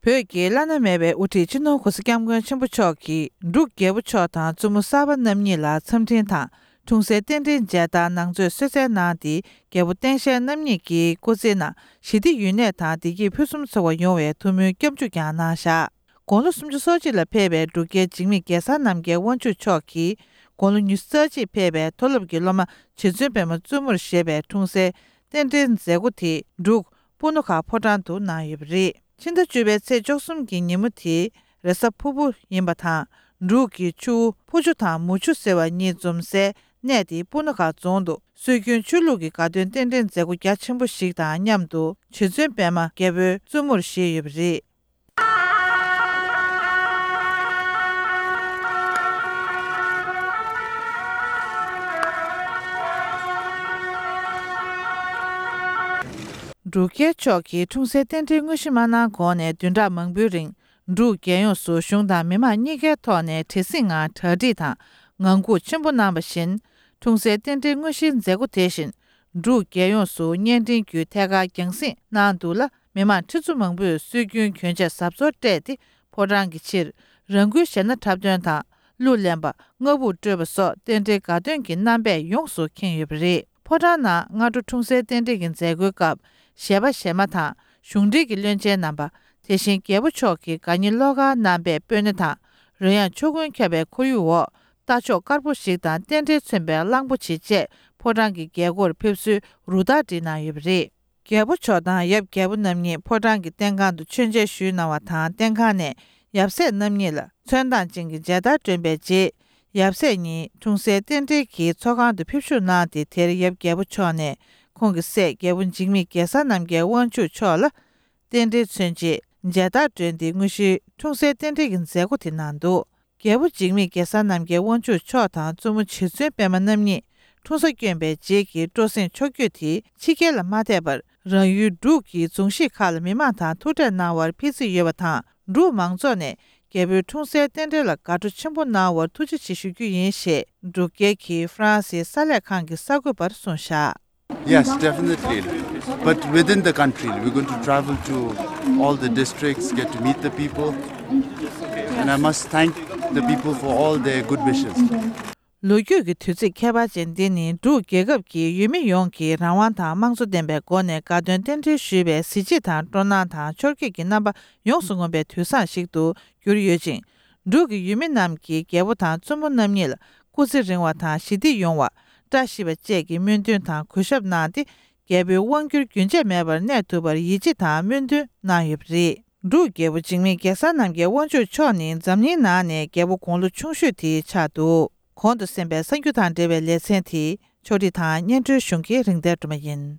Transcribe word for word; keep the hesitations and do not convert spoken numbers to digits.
བོད་ཀྱི་བླ་ན་མེད་པའི་དབུ་ཁྲིད་སྤྱི་ནོར་གོང་ས་སྐྱབས་མགོན་ཆེན་པོ་མཆོག་གིས་འབྲུག་རྒྱལ་པོ་མཆོག་དང་བཙུན་མོ་གསར་པ་རྣམ་གཉིས་ལ་འཚམས་འཕྲིན་དང་། འཁྲུངས་སའི་རྟེན་འབྲེལ་མཇལ་དར་ནང་མཛོད་གསོལ་སྩལ་གནང་སྟེ། རྒྱལ་པོ་སྟངས་དཔྱལ་རྣམ་གཉིས་ཀྱི་སྐུ་ཚེའི་ནང་ཞི་བདེ་ཡུན་གནས་དང་བདེ་སྐྱིད་ཕུན་སུམ་ཚོགས་པ་ཡོང་བའི་ཐུགས་སྨོན་སྐྱབས་འཇུག་ཀྱང་གནང་བཞག་དགུང་ལོ་སུམ་ཅུ་སོ་གཅིག་ལ་ཕེབས་པའི་འབྲུག་རྒྱལ་འཇིགས་མེད་གེ་སར་རྣམ་རྒྱལ་དབང་ཕྱུག་མཆོག་གིས། དགུང་ལོ་ཉི་ཤུ་རྩ་གཅིག་ཕེབས་པའི་མཐོ་སློབ་ཀྱི་སློབ་མ་རྗེ་བཙུན་པད་མ་བཙུན་མོར་བཞེས་པའི་འཁྲུངས་སའི་རྟེན་འབྲེལ་མཛད་སྒོ་དེ་འབྲུག་སྤུ་ན་ཁ་ཕོ་བྲང་དུ་གནང་ཡོད་པ་རེད། ཕྱི་ཟླ་བཅུ་པའི་ཚེས་བཅུ་གསུམ་གྱི་ཉིན་མོ་དེ་རེས་གཟའ་ཕུར་བུ་ཡིན་པ་དང་། འབྲུག་གི་ཆུ་བོ་ཕུ་ཆུ་དང་མུ་ཆུ་ཟེར་བ་གཉིས་འཛོམས་སའི་གནས་དེ་སྤུ་ན་ཁ་རྫོང་དུ་སྲོལ་རྒྱུན་ཆོས་ལུགས་ཀྱི་དགའ་སྟོན་རྟེན་འབྲེལ་མཛད་སྒོ་རྒྱ་ཆེན་པོ་ཞིག་དང་མཉམ་དུ་རྗེ་བཙུན་པད་མ་རྒྱལ་པོའི་བཙུན་མོར་བཞེས་ཡོད་པ་རེད། འབྲུག་རྒྱལ་མཆོག་གིས་འཁྲུངས་སའི་རྟེན་འབྲེལ་དངོས་གཞི་མ་གནང་གོང་ནས་བདུན་ཕྲག་མང་པོའི་རིང་། འབྲུག་རྒྱལ་ཡོངས་སུ་གཞུང་དང་མི་མང་གཉིས་ཀའི་ཐོག་ནས་བྲེལ་ཟིང་ངང་གྲ་སྒྲིག་དང་ངང་སྒུག་ཆེན་པོ་གནང་བ་བཞིན། འཁྲུངས་སའི་རྟེན་འབྲེལ་དངོས་གཞིའི་མཛད་སྒོ་དེ་བཞིན། འབྲུག་རྒྱལ་ཡོངས་སུ་བརྙན་འཕྲིན་བརྒྱུད་ཐད་ཀར་རྒྱང་སྲིང་གནང་འདུག་ལ། མི་མང་ཁྲི་ཚོ་མང་པོས་སྲོལ་རྒྱུན་གྱོན་ཆས་གཟབ་གསོལ་སྤྲས་ཏེ། ཕོ་བྲང་གི་ཕྱིར། རང་འགུལ་གཞས་སྣ་འཁྲབ་སྟོན་དང་གླུ་ལེན་པ། རྔ་སྦུག་དཀྲོལ་བ་སོགས་རྟེན་འབྲེལ་དགའ་སྟོན་གྱི་རྣམ་པས་ཡོངས་སུ་ཁེངས་ཡོད་པ་རེད། ཕོ་བྲང་ནང་སྔ་དྲོ་འཁྲུངས་སའི་རྟེན་འབྲེལ་གྱི་མཛད་སྒོའི་སྐབས། གཞས་པ་གཞས་མ་དང་གཞུང་འབྲེལ་གྱི་བློན་ཆེན་རྣམ་པ། དེ་བཞིན་རྒྱལ་པོ་མཆོག་གི་དགའ་ཉེ་བློ་དཀར་རྣམ་པས་སྤོས་སྣེ་དང་། རོལ་དབྱངས་ཕྱོགས་ཀུན་ཁྱབ་པའི་ཁོར་ཡུག་འོག་རྟ་མཆོག་དཀར་པོ་ཞིག་དང་རྟེན་འབྲེལ་མཚོན་པའི་གླང་པོ་ཆེ་བཅས་ཕོ་བྲང་གི་རྒྱལ་སྒོར་ཕེབས་བསུའི་རུ་སྟར་བསྒྲིགས་གནང་ཡོད་པ་རེད། རྒྱལ་པོ་མཆོག་དང་ཡབ་རྒྱལ་པོ་རྣམ་གཉིས་ཕོ་བྲང་གི་སྟེང་ཁང་དུ་མཆོད་མཇལ་ཞུས་གནང་བ་དང་། སྟེང་ཁང་ནས་ཡབ་སྲས་རྣམ་གཉིས་ལ་ཚོན་མདངས་ཅན་གྱི་མཇལ་དར་སྒྲོན་པའི་རྗེས། ཡབ་སྲས་གཉིས་འཁྲུངས་སའི་རྟེན་འབྲེལ་གྱི་ཚོགས་ཁང་དུ་ཕེབས་བཞུགས་གནང་སྟེ། དེར་ཡབ་རྒྱལ་པོ་མཆོག་ནས་ཁོང་གི་སྲས་རྒྱལ་པོ་འཇིགས་མེད་གེ་སར་རྣམ་རྒྱལ་དབང་ཕྱུག་མཆོག་ལ་རྟེན་འབྲེལ་མཚོན་ཆེད་མཇལ་དར་སྒྲོན་ཏེ། དངོས་གཞིའི་འཁྲུངས་སའི་རྟེན་འབྲེལ་གྱི་མཛད་སྒོ་དེ་གནང་འདུག་རྒྱལ་པོ་འཇིགས་མེད་གེ་སར་རྣམ་རྒྱལ་དབང་ཕྱུག་མཆོག་དང་བཙུན་མོ་རྗེ་བཙུན་པད་མ་རྣམ་གཉིས་འཁྲུངས་ས་བསྐྱོན་པའི་རྗེས་ཀྱི་སྤྲོ་གསེང་ཕྱོགས་བསྐྱོད་དེ་ཕྱི་རྒྱལ་ལ་མ་ཐད་པར། རང་ཡུལ་འབྲུག་གི་རྫོང་གཞིས་ཁག་ལ་མི་མང་དང་ཐུག་འཕྲད་གནང་བར་ཕེབས་རྩིས་ཡོད་པ་དང་། འབྲུག་མང་ཚོགས་ནས་རྒྱལ་པོའི་འཁྲུངས་སའི་རྟེན་འབྲེལ་ལ་དགའ་སྤྲོ་ཆེན་པོ་གནང་བར་ཐུགས་རྗེ་ཆེ་ཞུ་རྒྱུ་ཡིན་ཞེས་འབྲུག་རྒྱལ་གྱིས་ཧྥ་རན་སིའི་གསར་ལས་ཁང་གི་གསར་འགོད་པར་གསུངས་བཞག Yes, definitely. But within the country, we're going to travel to all the districts, get to meet the people. And I must thank the people for all their good wishes. ལོ་རྒྱུས་ཀྱི་དུས་ཚིགས་ཁྱད་པར་ཅན་འདི་ནི་འབྲུག་རྒྱལ་ཁབ་ཀྱི་ཡུལ་མི་ཡོངས་ཀྱི་རང་དབང་དང་དམངས་གཙོ་ལྡན་པའི་སྒོ་ནས་དགའ་སྟོན་རྟེན་འབྲེལ་ཞུས་པའི་གཟི་བརྗིད་དང་སྤྲོ་སྣང་དང་འཆོར་སྐྱིད་ཀྱི་རྣམ་པ་ཡོངས་སུ་ངོམ་པའི་དུས་བཟང་ཞིག་ཏུ་གྱུར་ཡོད་ཅིང་། འབྲུག་གི་ཡུལ་མི་རྣམས་ཀྱིས་རྒྱལ་པོ་དང་བཙུན་མོ་རྣམ་གཉིས་ལ་སྐུ་ཚེ་རིང་བ་དང་ཞི་བདེ་ཡོང་བ། བཀྲ་ཤིས་པ་བཅས་ཀྱི་སྨོན་འདུན་དང་གུས་ཞབས་གནང་སྟེ། རྒྱལ་པོའི་དབང་སྒྱུར་རྒྱུན་ཆད་མེད་པར་གནས་ཐུབ་པར་ཡིད་ཆེས་དང་སྨོན་འདུན་གནང་ཡོད་པ་རེད། འབྲུག་རྒྱལ་པོ་འཇིགས་མེད་གེ་སར་རྣམ་རྒྱལ་དབང་ཕྱུག་མཆོག་ནི་འཛམ་གླིང་ནང་ནས་རྒྱལ་པོ་དགུང་ལོ་ཆུང་ཤོས་དེ་ཆགས་འདུག་གོང་དུ་གསན་པའི་གསར་འགྱུར་དང་འབྲེལ་བའི་ལེ་ཚན་དེ་ཕྱོགས་སྒྲིག་དང་སྙན་སྒྲོན་ཞུ་མཁན་རིག་ལྡན་སྒྲོལ་མ་ཡིན།